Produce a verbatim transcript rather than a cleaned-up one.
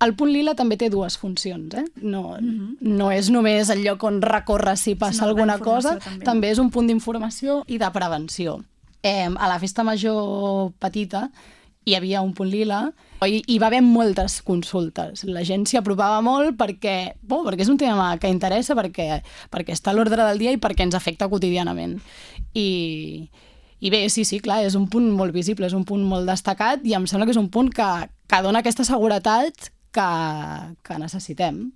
El punt lila també té dues funcions, eh? No, mm-hmm. no és només el lloc on recorres si passa Sinó alguna cosa, també. també és un punt d'informació i de prevenció. Eh, a la festa major petita hi havia un punt lila i hi va haver moltes consultes. La gent s'hi apropava molt perquè, bo, perquè és un tema que interessa, perquè, perquè està a l'ordre del dia i perquè ens afecta quotidianament. I, I bé, sí, sí, clar, és un punt molt visible, és un punt molt destacat i em sembla que és un punt que, que dona aquesta seguretat que, que necessitem.